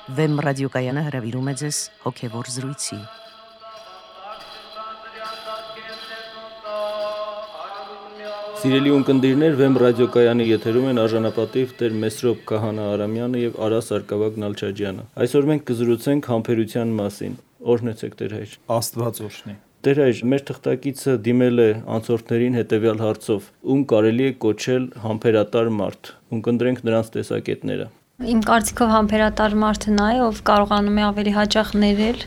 Վեմ ռադիոկայանը հրավիրում է ձեզ հոգևոր զրույցի։ Սիրելի ունկնդիրներ, Վեմ ռադիոկայանի եթերում են արժանապատիվ Տեր Մեսրոպ Քահանա Արամյանը եւ Արա Սարգսակ Նալչաջյանը։ Այսօր մենք կզրուցենք համբերության մասին։ Օրհնեցեք Տեր հայր։ Աստված օրհնի։ Տեր հայր, մեր թղթակիցը դիմել է անցորդներին հետևյալ հարցով. ում կարելի է կոչել համբերատար մարդ։ Ունկնդրենք նրանց տեսակետները։ Իմ կարծիքով համբերատար մարդը նա է, ով կարողանում է ավելի հաճախ ներել,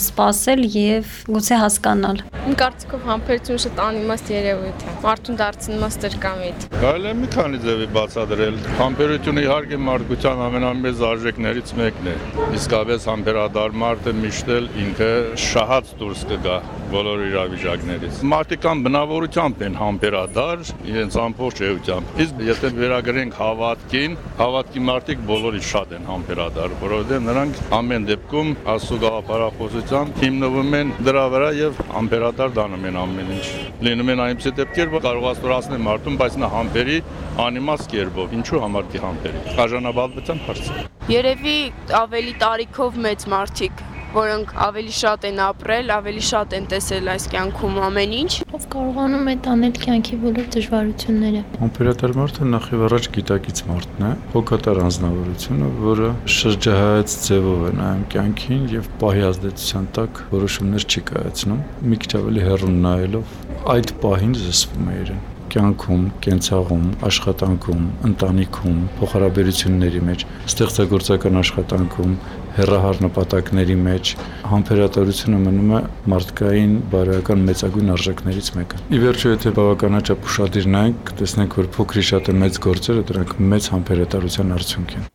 սպասել եւ գուցե հասկանալ։ Իմ կարծիքով համբերությունը շատ անիմաստ երևույթ է։ Մարդուն դարձնում է ստրկամիտ։ Կարելի է մի քանի ձևի բացատրել։ Համբերությունը իհարկե մարդկության ամենամեծ արժեքներից մեկն է։ Իսկապես համբերատար մարդը միշտ էլ ինքը շահած դուրս կգա բոլոր իրավիճակներից։ Մարդիկան բնավորությամբ են համբերատար, իրենց ամբողջ էությամբ։ Իսկ եթե վերագրենք հավատքին, հավատքի մարդիկ բոլորից շատ են համբերատար, որովհետև նրանք ամեն դեպքում Աստծո գաղափարախոսությամբ հիմնվում են դրա վրա եւ համբերատար դանում են ամեն ինչ։ Լինում են այնպիսի դեպքեր, որ կարող աստորացնել մարդուն, բայց նա համբերի անիմաստ կերպով։ Ինչու համար չի համբերի։ Արժանապատվության հարց։ Երևի ավելի տարիքով մեծ մարդիկ, որոնք ավելի շատ են ապրել, ավելի շատ են տեսել այս կյանքում ամեն ինչ։ Ով կարողանում է տանել կյանքի բոլոր դժվարությունները։ Համբերատար մարդը նախ եւ առաջ գիտակից մարդն է, հոգատար անձնավորությունը, որը շրջահայաց ձևով է նայում կյանքին եւ պահի ազդեցության տակ որոշումներ չի կայացնում։ Մի քիչ ավելի հեռուն նայելով այդ պահին զսպում է իրեն կյանքում, կենցաղում, աշխատանքում, ընտանիքում, փոխհարաբերությունների մեջ, ստեղծագործական աշխատանքում, հեռահար նպատակների մեջ համբերատարությունը մնում է մարդկային բարոյական մեծագույն արժեքներից մեկը։ Ի վերջո, եթե բավականաչափ ուշադիր նայենք, կտեսնենք, որ փոքրի շատ է մեծ գործերը, դրանք մեծ համբերատարության արդյունք են։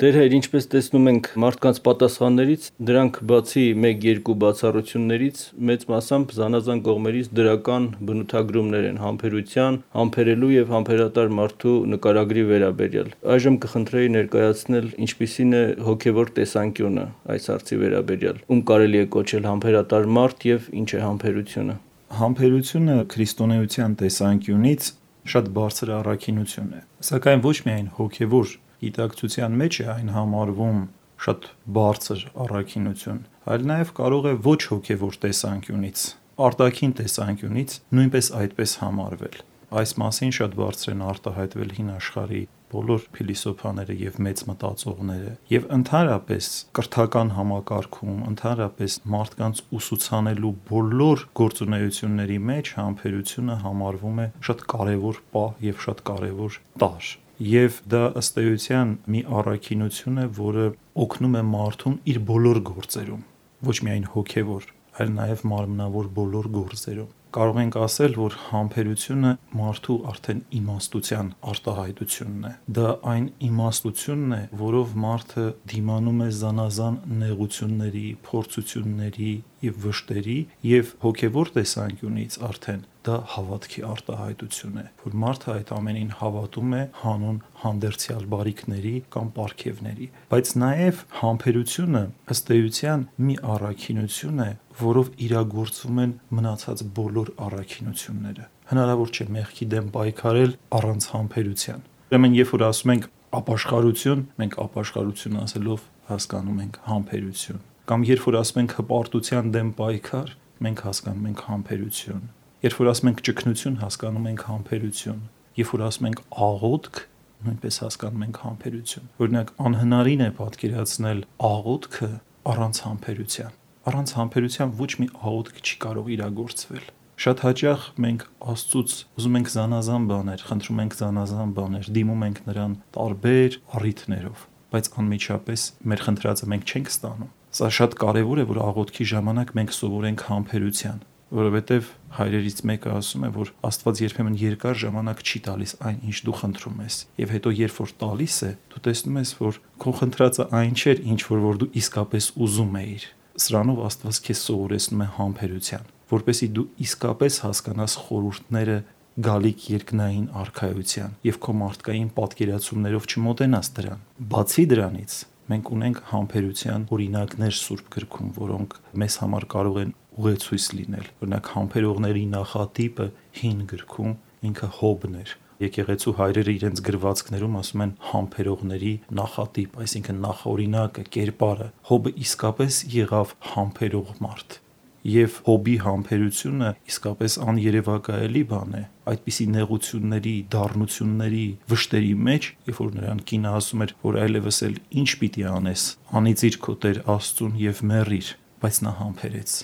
Տեր հայր, ինչպես տեսնում ենք մարդկանց պատասխաններից, դրանք բացի 1-2 բացառություններից մեծ մասամբ զանազան կողմերից դրական բնութագրումներ են համբերության, համբերելու եւ համբերատար մարդու նկարագրի վերաբերյալ։ Այժմ կխնդրեի ներկայացնել ինչպիսին է հոգեվոր տեսանկյունը այս հարցի վերաբերյալ։ Ում կարելի է կոչել համբերատար մարդ եւ ինչ է համբերությունը։ Համբերությունը քրիստոնեության տեսանկյունից շատ բարձր առաքինություն է, սակայն ոչ միայն հոգեվոր գիտակցության մեջ է այն համարվում շատ բարձր առաքինություն, այլ նաև կարող է ոչ հոգևոր տեսանկյունից, արտաքին տեսանկյունից նույնպես այդպես համարվել։ Այս մասին շատ բարձր են արտահայտվել հին աշխարհի բոլոր փիլիսոփաները եւ մեծ մտածողները, եւ ընդհանրապես կրթական համակարգում, ընդհանրապես մարդկանց ուսուցանելու բոլոր գործունեությունների մեջ համբերությունը համարվում է շատ կարևոր պահ եւ շատ կարևոր տարր։ Եվ դա ըստ էության մի առաքինություն է, որը օգնում է մարդուն իր բոլոր գործերում, ոչ միայն հոգևոր, այլ նաև մարմնավոր բոլոր գործերում։ Կարող ենք ասել, որ համբերությունը մարդու արդեն իմաստության արտահայտությունն է։ Դա այն իմաստությունն է, որով մարդը դիմանում է զանազան նեղությունների, փորձությունների եւ վշտերի, եւ հոգեվոր տեսանկյունից արդեն դա հավատքի արտահայտություն է, որ մարդը այդ ամենին հավատում է հանուն հանդերձյալ բարիքների կամ պարգևների, բայց նաև համբերությունը ըստ էության մի առաքինություն է, որով իրագործվում են մնացած բոլոր առաքինությունները։ Հնարավոր չէ մեղքի դեմ պայքարել առանց համբերության։ Ուրեմն, երբ որ ասում ենք ապաշխարություն, մենք ապաշխարություն ասելով հասկանում ենք համբերություն, կամ երբ որ ասում ենք հպարտության դեմ պայքար, մենք հասկանում ենք համբերություն։ Երբ որ ասում ենք ճգնություն, հասկանում ենք համբերություն։ Երբ որ ասում ենք աղոթք, նույնպես հասկանում ենք համբերություն։ Օրինակ, անհնարին է պատկերացնել աղոթքը առանց համբերության։ Առանց համբերության ոչ մի աղոթք չի կարող իրագործվել։ Շատ հաճախ մենք Աստծուց ուզում ենք զանազան բաներ, խնդրում ենք զանազան բաներ, դիմում ենք նրան տարբեր առիթներով, բայց անմիջապես մեր խնդրածը մենք չենք ստանում։ Սա շատ կարևոր է, որ աղոթքի ժամանակ մենք սովորենք համբերության, որովհետև հայրերից մեկը ասում է, որ Աստված երբեմն երկար ժամանակ չի տալիս այն, ինչ դու խնդրում ես, եւ հետո երբ որ տալիս է, դու տեսնում ես, որ քո խնդրածը այն չէր, ինչ որ դու իսկապես ուզում էիր։ Սրանով Աստված քեզ սովորեցնում է համբերության, որպեսզի դու իսկապես հասկանաս խորհուրդները գալիք երկնային արքայության եւ քո մարդկային պատկերացումներով չմոտենաս դրան։ Բացի դրանից, մենք ունենք համբերության օրինակներ Սուրբ գրքում, որոնք մեզ համար կարող են ուղեցույց լինել։ Օրինակ, համբերողների նախատիպը հին գրքում ինքը Հոբն էր, եկեղեցու հայրերը իրենց գրվածքներում ասում են համբերողների նախատիպ, այսինքն նախօրինակը, կերպարը։ Հոբը իսկապես եղավ համբերող մարդ։ Եվ Հոբի համբերությունը իսկապես աներևակայելի բան է։ Այդպիսի նեղությունների, դառնությունների, վշտերի մեջ, երբ որ նրան կինը ասում էր, որ այլևս էլ ինչ պիտի անես, անիծիր քո Տեր Աստծուն եւ մեռիր, բայց նա համբերեց։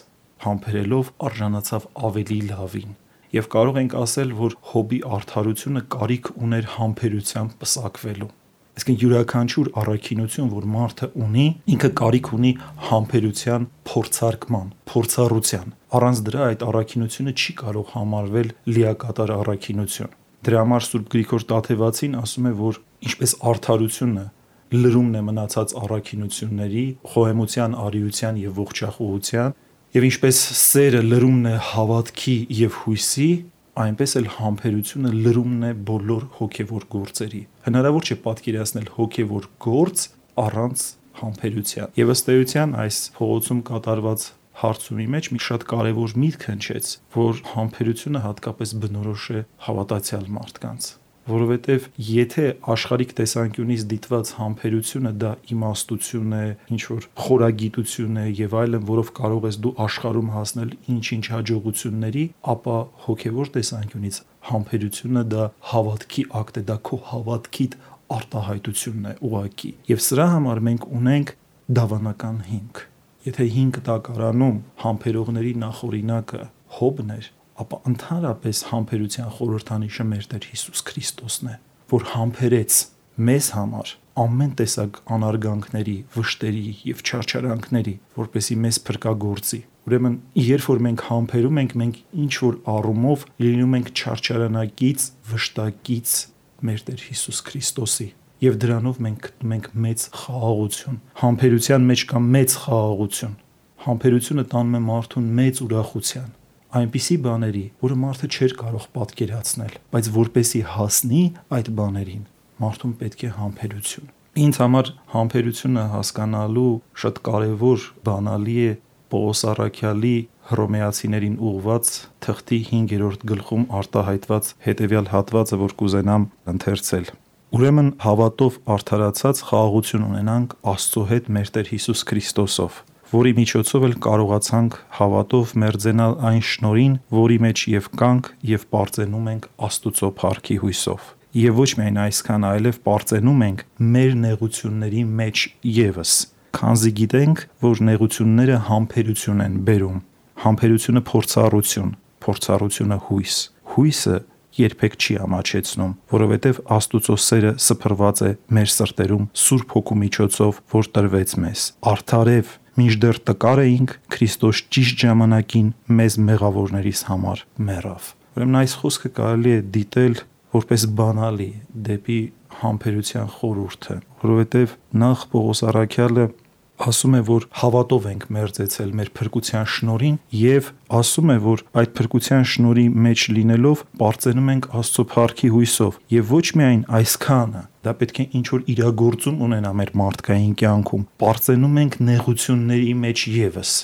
Համբերելով արժանացավ ավելի լավին։ Եվ կարող ենք ասել, որ Հոբի արդարությունը կարիք ուներ համբերությամբ պսակվելու։ Այսինքն յուրաքանչյուր առաքինություն, որ մարդը ունի, ինքը կարիք ունի համբերության փորձարկման, փորձառության։ Առանց դրա այդ առաքինությունը չի կարող համարվել լիակատար առաքինություն։ Դրա համար Սուրբ Գրիգոր Տաթևացին ասում է, որ ինչպես արդարությունը լրումն է մնացած առաքինությունների, խոհեմության, արիության եւ ողջախոհության, եւ ինչպես սերը լրումն է հավատքի եւ հույսի, այնպես էլ համբերությունը լրումն է բոլոր հոգևոր գործերի։ Հնարավոր չէ պատկերացնել հոգևոր գործ առանց համբերության։ Եվ ըստ էության այս փողոցում կատարված հարցումի մեջ մի շատ կարևոր միտք հնչեց, որ համբերությունը հատկապես բնորոշ է հավատացյալ մարդկանց, որովհետև եթե աշխարհիկ տեսանկյունից դիտված համբերությունը դա իմաստություն է, ինչ որ խորագիտություն է եւ այլն, որով կարող ես դու աշխարհում հասնել ինչ-ինչ հաջողությունների, ապա հոգեվոր տեսանկյունից համբերությունը դա հավատքի ակտ է, դա քո հավատքիդ արտահայտությունն է ուղակի։ Եվ սրա համար մենք ունենք դավանական հիմք։ Եթե հիմք տակարանում համբերողների նախօրինակը Հոբն էր, ապա ընդհանրապես համբերության խորհրդանիշը մեր Տեր Հիսուս Քրիստոսն է, որ համբերեց մեզ համար ամեն տեսակ անարգանքների, վշտերի եւ չարչարանքների, որպեսզի մեզ փրկագործի։ Ուրեմն, երբ որ մենք համբերում ենք, մենք ինչ որ առումով լինում ենք չարչարանակից, վշտակից մեր Տեր Հիսուս Քրիստոսի, եւ դրանով մենք գտնում ենք մեծ խաղաղություն։ Համբերության մեջ կա մեծ խաղաղություն։ Համբերությունը տանում է մարդուն մեծ ուրախության, այնպիսի բաների, որը մարդը չէր կարող պատկերացնել, բայց որպեսի հասնի այդ բաներին, մարդուն պետք է համբերություն։ Ինձ համար համբերությունը հասկանալու շատ կարևոր բանալի է Պողոս առաքյալի Հռոմեացիներին ուղված թղթի 5-րդ գլխում արտահայտված հետևյալ հատվածը, որ կուզենամ ընթերցել։ Ուրեմն հավատով արդարացած խաղաղություն ունենանք Աստծո հետ մեր Տեր Հիսուս Քրիստոսով, որի միջոցով էլ կարողացանք հավատով մերձենալ այն շնորհին, որի մեջ եւ կանք եւ պարծենում ենք Աստուծո փառքի հույսով։ Եվ ոչ միայն այսքան, այլև պարծենում ենք մեր նեղությունների մեջ եւս, քանզի գիտենք, որ նեղությունները համբերություն են բերում, համբերությունը փորձառություն, փորձառությունը հույս, հույսը երբեք չի ամաչեցնում, որովհետև Աստուծո սերը սփռված է մեր սրտերում Սուրբ Հոգու միջոցով, որ տրվեց մեզ։ Արդարև մինչդեռ տկար էինք, Քրիստոս ճիշտ ժամանակին մեզ մեղավորներիս համար մեռավ։ Ուրեմն այս խոսքը կարելի է դիտել որպես բանալի դեպի համբերության խորհուրդը, որովհետև նախ Պողոս առաքյալը ասում է, որ հավատով ենք մերձեցել մեր փրկության շնորհին եւ ասում է, որ այդ փրկության շնորհի մեջ լինելով պարծենում ենք Աստծո փառքի հույսով եւ ոչ միայն այսքանը, դա պետք է ինչ որ իրագործում ունենա մեր մարդկային կյանքում, պարծենում ենք նեղությունների մեջ եւս։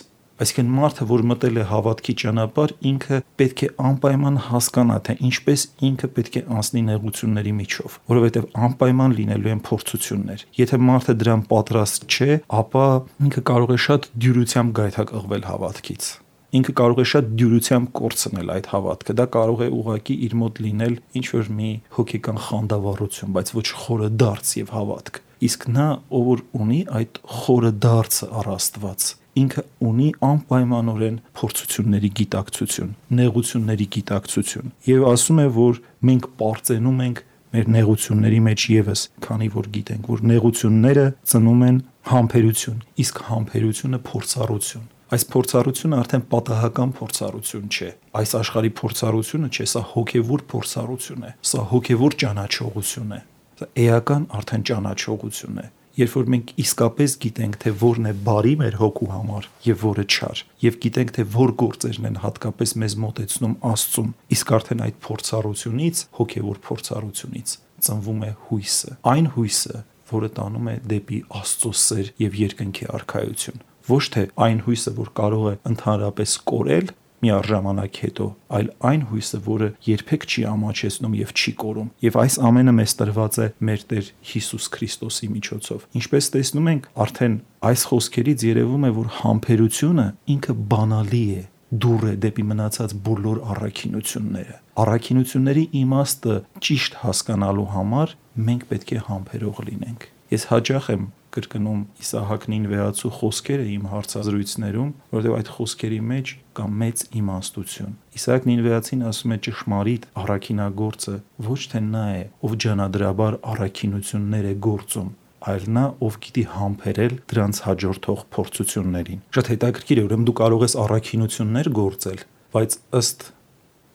Այսինքն մարդը, որ մտել է հավատքի ճանապարհ, ինքը պետք է անպայման հասկանա, թե ինչպես ինքը պետք է անցնի նեղությունների միջով, որովհետև անպայման լինելու են փորձություններ։ Եթե մարդը դրան պատրաստ չէ, ապա ինքը կարող է շատ դյուրությամբ գայթակղվել հավատքից։ Ինքը կարող է շատ դյուրությամբ կորցնել այդ հավատքը։ Դա կարող է ուղղակի իր մոտ լինել ինչ որ մի հոգեկան խանդավառություն, բայց ոչ խորը դարձ եւ հավատք։ Իսկ նա, ով որ ունի այդ խորը դարձը առ Աստված, ինքը ունի անպայմանորեն փորձությունների գիտակցություն, նեղությունների գիտակցություն եւ ասում է, որ մենք պարծենում ենք մեր նեղությունների մեջ եւս, քանի որ գիտենք, որ նեղությունները ծնում են համբերություն, իսկ համբերությունը փորձառություն։ Այս փորձառությունը արդեն պատահական փորձառություն չէ։ Այս աշխարհի փորձառությունը չէ, սա հոգևոր փորձառություն է, սա հոգևոր ճանաչողություն է, սա էական արդեն ճանաչողություն է։ Երբ որ մենք իսկապես գիտենք, թե որն է բարի մեր հոգու համար եւ որը չար, եւ գիտենք, թե որ գործերն են հատկապես մեզ մոտեցնում Աստծուն, իսկ արդեն այդ փորձառությունից, հոգեվոր փորձառությունից ծնվում է հույսը, այն հույսը, որը տանում է դեպի Աստծո սեր եւ երկնքի արքայություն։ Ոչ թե այն հույսը, որ կարող է ընդհանրապես կորել, միառժամանակ հետո, այլ այն հույսը, որը երբեք չի ամաչեցնում եւ չի կորում։ Եվ այս ամենը մեզ տրված է մեր Տեր Հիսուս Քրիստոսի միջոցով։ Ինչպես տեսնում ենք, արդեն այս խոսքերից երևում է, որ համբերությունը ինքը բանալի է, դուռ է դեպի մնացած բոլոր առաքինությունները։ Առաքինությունների իմաստը ճիշտ հասկանալու համար մենք պետք է համբերող լինենք։ Ես հաճախ եմ կրկնում Իսահակ Նինվեացու խոսքերը իմ հարցազրույցներում, որովհետև այդ խոսքերի մեջ կա մեծ իմաստություն։ Իսահակ Նինվեացին ասում է ճշմարիտ առաքինագործը ոչ թե նա է, ով ջանադրաբար առաքինություններ է գործում, այլ նա, ով գիտի համբերել դրանց հաջորդող փորձություններին։ Շատ հետաքրքիր է, ուրեմն դու կարող ես առաքինություններ գործել, բայց ըստ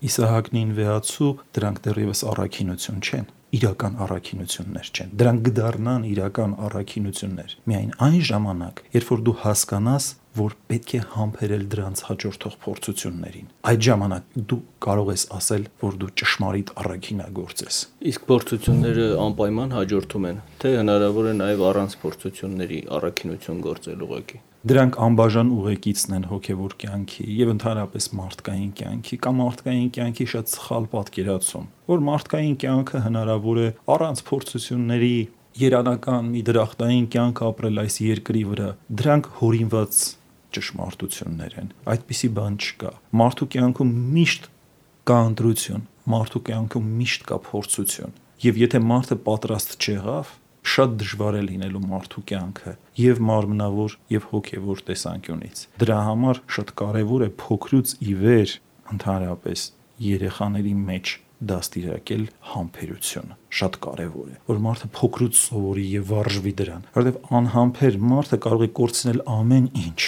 Իսահակ Նինվեացու դրանք դեռևս առաքինություն չեն, իրական առաքինություններ չեն։ Դրանք կդառնան իրական առաքինություններ միայն այն ժամանակ, երբ որ դու հասկանաս, որ պետք է համբերել դրանց հաջորդող փորձություններին։ Այդ ժամանակ դու կարող ես ասել, որ դու ճշմարիտ առաքինագործ ես։ Իսկ փորձությունները անպայման հաջորդում են, թե հնարավոր է նաև առանց փորձությունների առաքինություն գործել ուղղակի։ Դրանք անբաժան ուղեկիցն են հոգևոր կյանքի եւ ընդհանրապես մարդկային կյանքի կամ մարդկային կյանքի շատ սխալ պատկերացում, որ մարդկային կյանքը հնարավոր է առանց փորձությունների երանական մի դրախտային կյանք ապրել այս երկրի վրա։ Դրանք հորինված ճշմարտություններ են։ Այդպիսի բան չկա։ Մարդու կյանքում միշտ կա ընտրություն, մարդու կյանքում միշտ կա փորձություն։ Եվ եթե մարդը պատրաստ չեղավ, շատ դժվար է լինելու մարդու կյանքը եւ մարմնավոր եւ հոգեվոր տեսանկյունից։ Դրա համար շատ կարեւոր է փոքրուց ի վեր ընդհանրապես երեխաների մեջ դաստիարակել համբերությունը։ Շատ կարեւոր է, որ մարդը փոքրուց սովորի եւ վարժվի դրան, որովհետեւ անհամբեր մարդը կարող է կորցնել ամեն ինչ,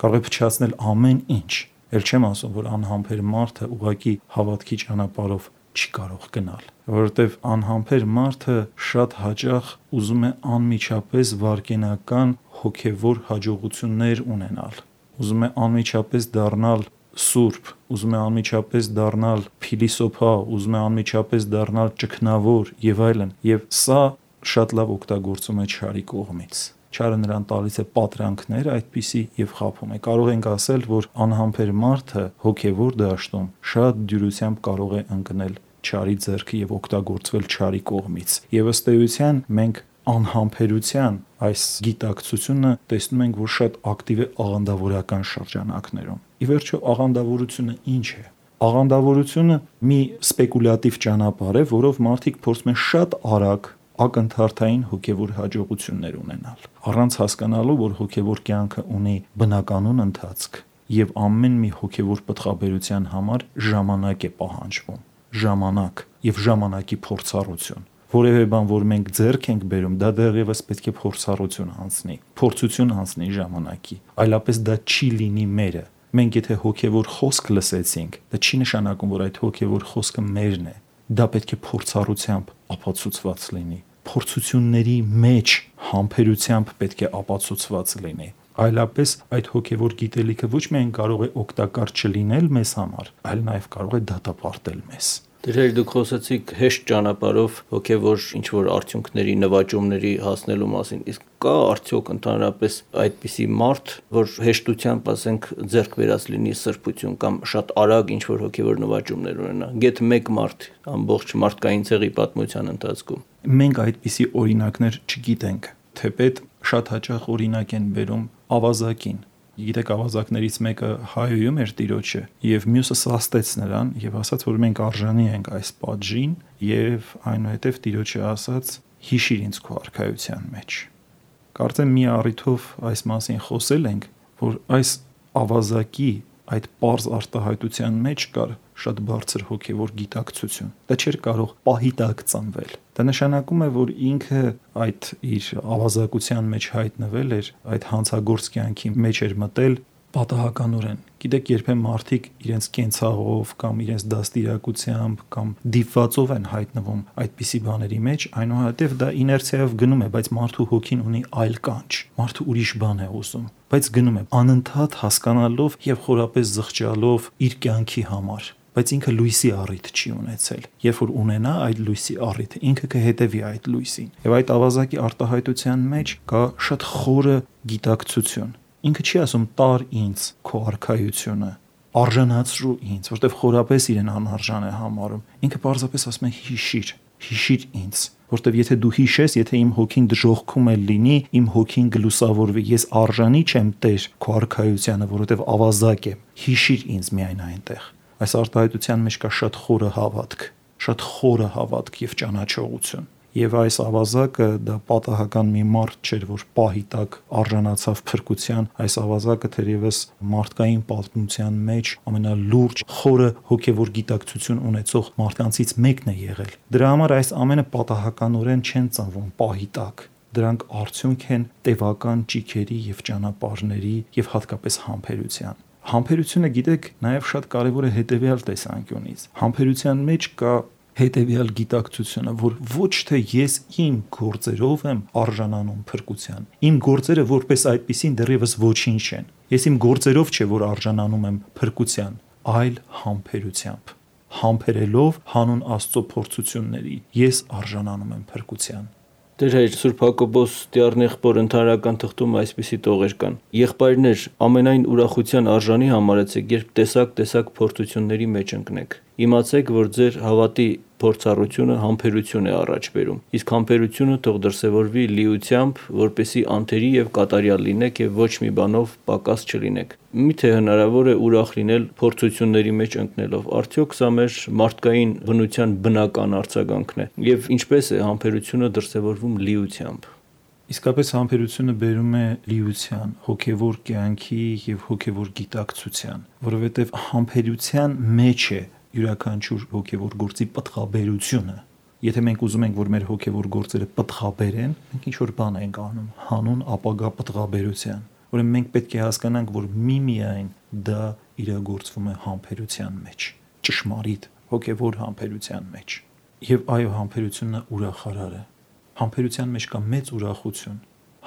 կարող է փչացնել ամեն ինչ։ Էլ չեմ ասում, որ անհամբեր մարդը ուղղակի հավատքի ճանապարհով չի կարող գնալ, որովհետև անհամբեր մարդը շատ հաճախ ուզում է անմիջապես վարքենական հոգևոր հաջողություններ ունենալ, ուզում է անմիջապես դառնալ սուրբ, ուզում է անմիջապես դառնալ փիլիսոփա, ուզում է անմիջապես դառնալ ճգնավոր եւ այլն, եւ սա շատ լավ օգտագործում է չարի կողմից։ Չարը նրան տալիս է պատրանքներ այդպիսի եւ խաբում է։ Կարող ենք ասել, որ անհամբեր մարդը հոգևոր դաշտում շատ դյուրությամբ կարող է ընկնել չարի ձեռքը եւ օգտագործվել չարի կողմից։ Եվ ըստ էության մենք անհամբերության այս գիտակցությունը տեսնում ենք, որ շատ ակտիվ է աղանդավորական շրջանակներում։ Ի վերջո աղանդավորությունը ինչ է։ Աղանդավորությունը մի սպեկուլյատիվ ճանապարհ է, որով մարդիկ փորձում են շատ արագ ակնթարթային հոգևոր հաջողություններ ունենալ, առանց հասկանալու, որ հոգևոր կյանքը ունի բնականon ընթացք եւ ամեն մի հոգևոր պտղաբերության համար ժամանակ է պահանջվում, ժամանակ եւ ժամանակի փորձառություն։ Որևէ բան, որ մենք ձեռք ենք բերում, դա դեռևս պետք է փորձառություն անցնի, փորձություն անցնի ժամանակի, այլապես դա չի լինի մերը։ Մենք եթե հոգևոր խոսք լսեցինք, դա չի նշանակում, որ այդ հոգևոր խոսքը մերն է։ Դա պետք է փորձառությամբ ապացուցված լինի։ Փորձությունների մեջ համբերությամբ պետք է ապացուցված լինի։ Այլապես այդ հոգևոր գիտելիքը ոչ միայն կարող է օգտակար չլինել մեզ համար, այլ նաև կարող է դատապարտել մեզ։ Դեր դուք խոսեցիք հեշտ ճանապարհով հոգևոր ինչ-որ արդյունքների, նվաճումների հասնելու մասին։ Իսկ կա արդյոք ընդհանրապես այդպիսի մարդ, որ հեշտությամբ, ասենք, ձեռք բերած լինի սրբություն կամ շատ արագ ինչ-որ հոգևոր նվաճումներ ունենա։ Գեթ մեկ մարդ ամբողջ մարդկային ցեղի պատմության ընթացքում։ Մենք այդպիսի օրինակներ չգիտենք, թեպետ շատ հաճախ օրինակ են բերում ավազակին։ Գիտեք, ավազակներից մեկը հայոյում էր տիրոջը եւ մյուսը սաստեց նրան եւ ասաց, որ մենք արժանի ենք այս պատժին եւ այնուհետեւ տիրոջը ասաց. հիշիր ինձ քո արքայության մեջ։ Կարծեմ մի առիթով այս մասին խոսել ենք, որ այս ավազակի այդ պարզ արտահայտության մեջ կար շատ բարձր հոգևոր գիտակցություն։ Դա չէր կարող պահի տակ ծնվել։ Դա նշանակում է, որ ինքը այդ իր ավազակության մեջ հայտնվել էր, այդ հանցագործ կյանքի մեջ էր մտել պատահականորեն։ Գիտեք, երբեմն մարդիկ իրենց կենցաղով կամ իրենց դաստիարակությամբ կամ դիպվածով են հայտնվում այդպիսի բաների մեջ, այնուհետև դա իներցիայով գնում է, բայց մարդու հոգին ունի այլ կանչ։ Մարդը ուրիշ բան է ուզում, բայց գնում է անընդհատ հասկանալով եւ խորապես զղջալով իր կյանքի համար, բայց ինքը լույսի առիթ չի ունեցել։ Երբ որ ունենա այդ լույսի առիթը, ինքը կհետևի այդ լույսին։ Եվ այդ ավազակի արտահայտության մեջ կա շատ խորը գիտակցություն։ Ինքը չի ասում տար ինձ քո արքայությունը, արժանացրու ինձ, որտեվ խորապես իրեն անարժան է համարում։ Ինքը պարզապես ասում է հիշիր ինձ, որտեվ եթե դու հիշես, եթե իմ հոգին դժոխքում է լինի, իմ հոգին գլուսավորվի, ես արժանի չեմ Տեր քո արքայությանը, որովհետև ավազակ եմ։ Հիշիր ինձ միայն այնտեղ։ Այս արտահայտության մեջ կա շատ խորը հավատք եւ ճանաչողություն։ Եվ այս ավազակը դա պատահական մի մարդ չէր, որ պահի տակ արժանացավ փրկության, այս ավազակը թերևս մարդկային պատմության մեջ ամենալուրջ խորը հոգևոր գիտակցություն ունեցող մարդկանցից մեկն է եղել։ Դրա համար այս ամենը պատահականորեն չեն ծնվում պահի տակ։ Դրանք արդյունք են տևական ճիգերի եւ ճանապարհների եւ հատկապես համբերության։ Համբերությունը, գիտեք, նաեւ շատ կարեւոր է հետեւյալ տեսանկյունից։ Համբերության մեջ կա հետևյալ գիտակցությունը, որ ոչ թե ես իմ գործերով եմ արժանանում փրկության։ Իմ գործերը որպես այդպիսին դեռևս ոչինչ չեն։ Ես իմ գործերով չէ, որ արժանանում եմ փրկության, այլ համբերությամբ։ Համբերելով հանուն Աստծո փորձությունների ես արժանանում եմ փրկության։ Տեր հայր Սուրբ Հակոբոս Տիառնեղբոր ընդհանրական թղթում այսպիսի տողեր կան. Եղբայրներ, ամենայն ուրախության արժանի համարեցեք, երբ տեսակ փորձությունների մեջ ընկնեք։ Իմացեք, որ ձեր հավատի փորձառությունը համբերություն է առաջ բերում, իսկ համբերությունը թող դրսևորվի լիությամբ, որպեսզի անթերի եւ կատարյալ լինեք եւ ոչ մի բանով պակաս չլինեք։ Միթե հնարավոր է ուրախ լինել փորձությունների մեջ ընկնելով։ Արդյոք սա մեր մարդկային բնության բնական արձագանքն է, եւ ինչպես է համբերությունը դրսևորվում լիությամբ։ Իսկապես համբերությունը բերում է լիության, հոգևոր կյանքի եւ հոգևոր գիտակցության, որովհետեւ համբերության մեջ է յուրաքանչյուր հոգևոր գործի պտղաբերությունը։ Եթե մենք ուզում ենք, որ մեր հոգևոր գործերը պտղաբերեն, մենք ինչ-որ բան ենք անում հանուն ապագա պտղաբերության։ Ուրեմն մենք պետք է հասկանանք, որ միմիայն դա իրագործվում է համբերության մեջ, ճշմարիտ հոգևոր համբերության մեջ։ Եվ այո, համբերությունը ուրախարար է։ Համբերության մեջ կա մեծ ուրախություն։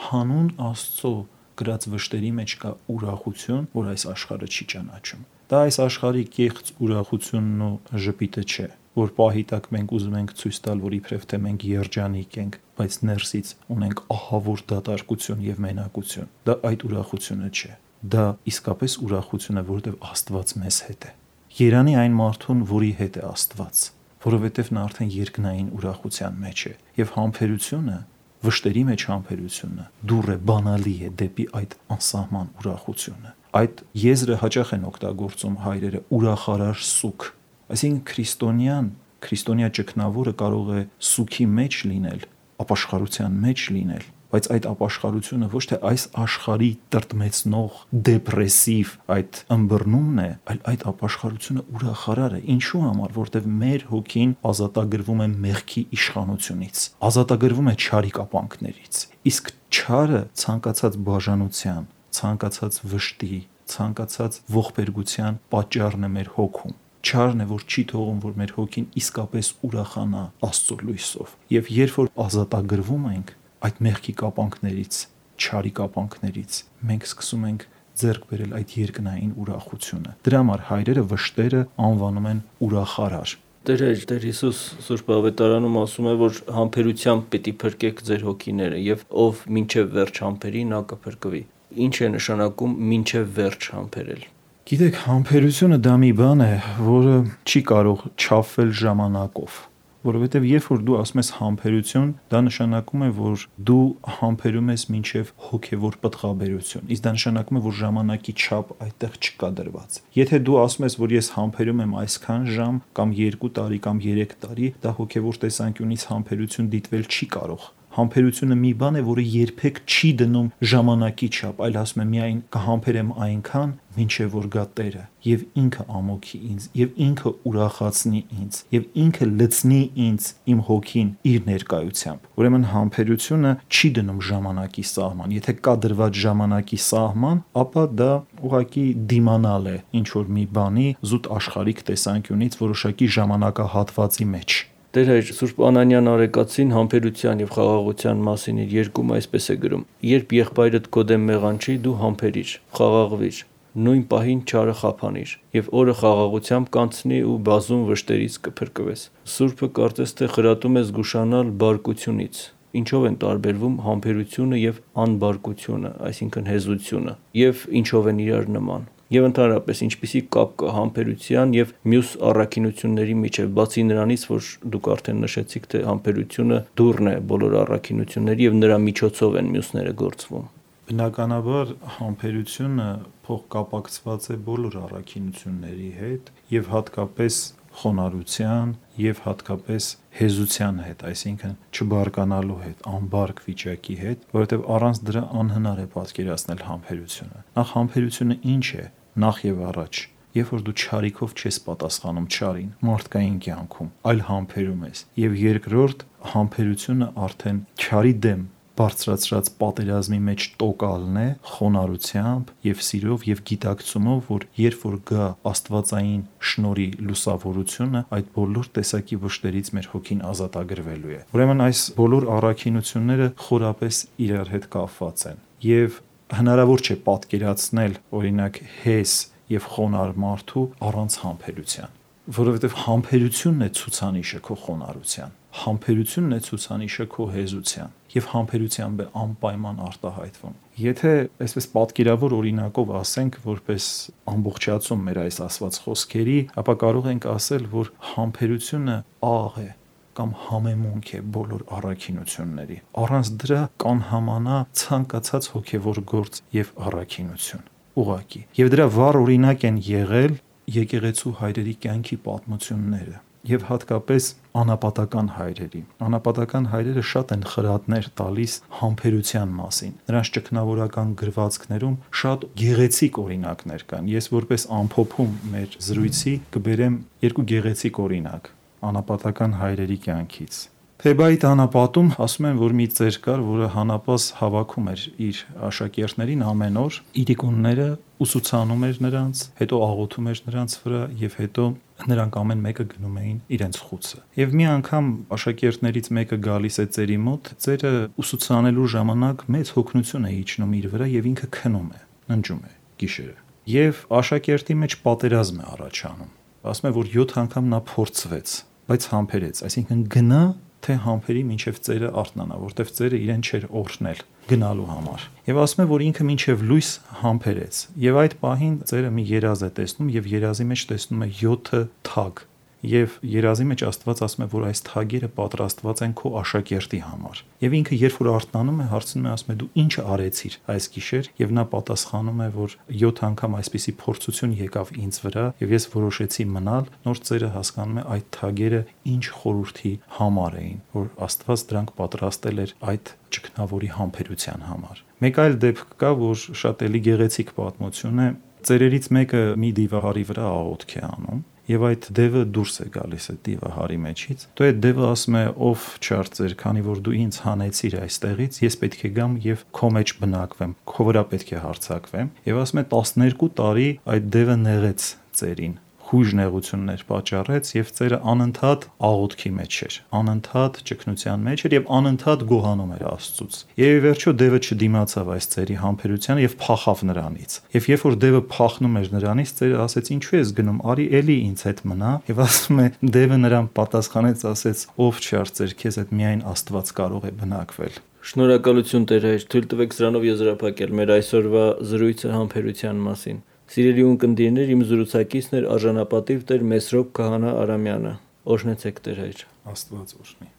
Հանուն Աստծո գրած վշտերի մեջ կա ուրախություն, որ այս աշխարհը չի ճանաչում։ Դա այս աշխարհի կեղծ ուրախությունն ու ժպիտը չէ, որ պահի տակ մենք ուզում ենք ցույց տալ, որ իբրև թե մենք երջանիկ ենք, բայց ներսից ունենք ահավոր դատարկություն եւ մենակություն։ Դա այդ ուրախությունը չէ։ Դա իսկապես ուրախություն է, որովհետեւ Աստված մեզ հետ է։ Երանի այն մարդուն, որի հետ է Աստված, որովհետեւ նա արդեն երկնային ուրախության մեջ է, եւ համբերությունը, վշտերի մեջ համբերությունը դուռ է, բանալի է դեպի այդ անսահման ուրախությունը։ Այդ եզրը հաճախ են օգտագործում հայրերը ուրախարար սուք, այսինքն քրիստոնյա ճգնավորը կարող է սուքի մեջ լինել, ապաշխարության մեջ լինել, բայց այդ ապաշխարությունը ոչ թե այս աշխարհի տրտմեցնող, դեպրեսիվ այդ ըմբռնումն է, այլ այդ ապաշխարությունը ուրախարար է։ Ինչու համար, որտեղ մեր հոգին ազատագրվում է մեղքի իշխանությունից, ազատագրվում է չարի կապանքներից։ Իսկ չարը ցանկացած բաժանության, ցանկացած վշտի, ցանկացած ողբերգության պատճառն է մեր հոգում։ Չարն է, որ չի թողում, որ մեր հոգին իսկապես ուրախանա Աստծո լույսով։ Եվ երբ որ ազատագրվում ենք այդ մեղքի կապանքներից, չարի կապանքներից, մենք սկսում ենք ձեռք բերել այդ երկնային ուրախությունը։ Դրա համար հայրերը վշտերը անվանում են ուրախարար։ Տեր Հիսուս Սուրբ Ավետարանում ասում է, որ համբերությամբ պիտի փրկեք ձեր հոգիները, եւ ով մինչև վերջ համբերի, նա կփրկվի։ Ինչ է նշանակում մինչև վերջ համբերել։ Գիտեք, համբերությունը դա մի բան է, որը չի կարող չափվել ժամանակով, որովհետև երբ որ դու ասում ես համբերություն, դա նշանակում է, որ դու համբերում ես մինչև հոգևոր պտղաբերություն, իսկ դա նշանակում է, որ ժամանակի չափ այդտեղ չկա դրված։ Եթե դու ասում ես, որ ես համբերում եմ այսքան ժամ կամ 2 տարի կամ 3 տարի, դա հոգևոր տեսանկյունից համբերություն դիտվել չի կարող։ Համբերությունը մի բան է, որը երբեք չի դնում ժամանակի չափ, այլ ասում է միայն կհամբերեմ այնքան, մինչև որ գա Տերը, եւ ինքը ամոքի ինձ, եւ ինքը ուրախացնի ինձ, եւ ինքը լցնի ինձ իմ հոգին իր ներկայությամբ։ Ուրեմն համբերությունը չի դնում ժամանակի սահման։ Եթե կա դրված ժամանակի սահման, ապա դա ուղղակի դիմանալ է ինչ որ մի բանի զուտ աշխարհիկ տեսանկյունից որոշակի ժամանակահատվածի մեջ։ Տեր հայր Սուրբ Անանյան Արեկացին համբերության եւ խաղաղության մասին իր երկում այսպես է գրում. երբ եղբայրդ քո դեմ մեղանչի, դու համբերիր, խաղաղվիր, նույն պահին չարը խափանիր եւ օրը խաղաղությամբ կանցնի ու բազում վշտերից կփրկվես։ Սուրբը կարծես թե խրատում է զգուշանալ բարկությունից։ Ինչով են տարբերվում համբերությունը եւ անբարկությունը, այսինքն հեզությունը, եւ ինչով են իրար նման։ Եվ ընդհանրապես ինչպիսի կապ կա համբերության եւ մյուս առաքինությունների միջեւ, բացի նրանից, որ դուք արդեն նշեցիք, թե համբերությունը դուռն է բոլոր առաքինությունների եւ նրա միջոցով են մյուսները գործվում։ Բնականաբար համբերությունը փոխկապակցված է բոլոր առաքինությունների հետ եւ հատկապես խոնարհության եւ հատկապես հեզության հետ, այսինքն չբարկանալու հետ, անբարկ վիճակի հետ, որովհետեւ առանց դրա անհնար է պատկերացնել համբերությունը։ Նախ համբերությունը ինչ է, նախ եւ առաջ, երբ որ դու չարիքով չես պատասխանում չարին, մարդկային կյանքում, այլ համբերում ես, եւ երկրորդ համբերությունը արդեն չարի դեմ բարձրացրած պատերազմի մեջ տոկալն է խոնարհությամբ եւ սիրով եւ գիտակցումով, որ երբ որ գա աստվածային շնորհի լուսավորությունը, այդ բոլոր տեսակի վշտերից մեր հոգին ազատագրվելու է։ Ուրեմն այս բոլոր առաքինությունները խորապես իրար հետ կապված են եւ հնարավոր չէ պատկերացնել օրինակ հես եւ խոնարհ մարդու առանց համբերության, որովհետեւ համբերությունն է ցուցանիշը քո խոնարհության, համբերությունն է ցուցանիշը քո հեզության եւ համբերությամբ է անպայման արտահայտվում։ Եթե այսպես պատկերավոր օրինակով ասենք որպես ամբողջացում մեր այս ասված խոսքերի, ապա կարող ենք ասել, որ համբերությունը աղ է կամ համեմունք է բոլոր առաքինությունների։ Առանց դրա կանհամանա ցանկացած հոգևոր գործ եւ առաքինություն։ Ուղղակի։ Եվ դրա վառ օրինակ են եղել եկեղեցու հայրերի կյանքի պատմությունները եւ հատկապես անապատական հայրերի։ Անապատական հայրերը շատ են խրատներ տալիս համբերության մասին։ Նրանց ճգնավորական գրվածքներում շատ գեղեցիկ օրինակներ կան։ Ես որպես ամփոփում մեր զրույցի կբերեմ երկու գեղեցիկ օրինակ անապատական հայրերի կյանքից։ Թեբայի անապատում ասում են, որ մի ծեր կար, որը հանապաս հավաքում էր իր աշակերտներին ամեն օր, իրիկունները ուսուցանում էր նրանց, հետո աղոթում էր նրանց վրա եւ հետո նրանք ամեն մեկը գնում էին իրենց խուցը։ Եվ մի անգամ աշակերտներից մեկը գալիս է ծերի մոտ, ծերը ուսուցանելու ժամանակ մեծ հոգնություն է իջնում իր վրա եւ ինքը քնում է, ննջում է գիշերը։ Եվ աշակերտի մեջ պատերազմ է առաջանում։ Ասում է, որ 7 անգամ նա փորձվեց, բայց համբերեց, այսինքն գնա թե համբերի մինչև ծերը արթնանա, որտեվ ծերը իրեն չէր օրհնել գնալու համար։ Եվ ասում է, որ ինքը մինչև լույս համբերեց։ Եվ այդ պահին ծերը մի երազ է տեսնում եւ երազի մեջ տեսնում է 7 թագ։ Եվ երազի մեջ Աստված ասում է, որ այս թագերը պատրաստված են քո աշակերտի համար։ Եվ ինքը երբ որ արթնանում է, հարցնում է, ասում է, դու ինչ արեցիր այս գիշեր, եւ նա պատասխանում է, որ 7 անգամ այսպիսի փորձություն եկավ ինձ վրա, եւ ես որոշեցի մնալ, նոր ծերը հասկանում է այդ թագերը ինչ խորհրդի համար էին, որ Աստված դրանք պատրաստել էր այդ ճգնավորի համբերության համար։ Մեկ այլ դեպք կա, որ շատ էլի գեղեցիկ պատմություն է։ Ծերերից մեկը մի դիվահարի վրա աղոթք է անում եւ այդ դևը դուրս է գալիս այդ դիվահարի մեջից։ Դու այդ դևը ասում է, ով չարծեր, քանի որ դու ինձ հանեցիր այստեղից, ես պետք է գամ եւ քո մեջ բնակվեմ, քո վրա պետք է հարձակվեմ։ Եվ ասում է 12 տարի այդ դևը նեղեց ծերին, խույժ նեղություններ պատճառեց եւ ծերը անընդհատ աղոթքի մեջ էր, անընդհատ ճգնության մեջ էր եւ անընդհատ գոհանում էր Աստծուց։ Եվ վերջո դևը չդիմացավ այս ծերի համբերությանը եւ փախավ նրանից։ Եվ երբ որ դևը փախնում էր նրանից, ծերը ասեց. «Ինչու ես գնում, արի էլի ինձ հետ մնա»։ Եվ ասում է, դևը նրան պատասխանեց, ասեց. «Ով չարծեր, քեզ հետ միայն Աստված կարող է բնակվել»։ Շնորհակալություն Տեր հայր, թույլ տվեք սրանով եզրափակել մեր այսօրվա զրույցը համբերության մասին։ Սիրելի ունկնդիրներ, իմ զրուցակիցն էր արժանապատիվ Տեր Մեսրոպ Քահանա Արամյանը։ Օրհնեցեք Տեր հայր։ Աստված օրհնի։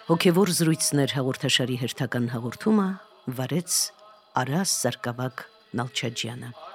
Հոգևոր զրույցներ հաղորդաշարի հերթական հաղորդումը վարեց Արաս Սարգսակ Նալչաջյանը։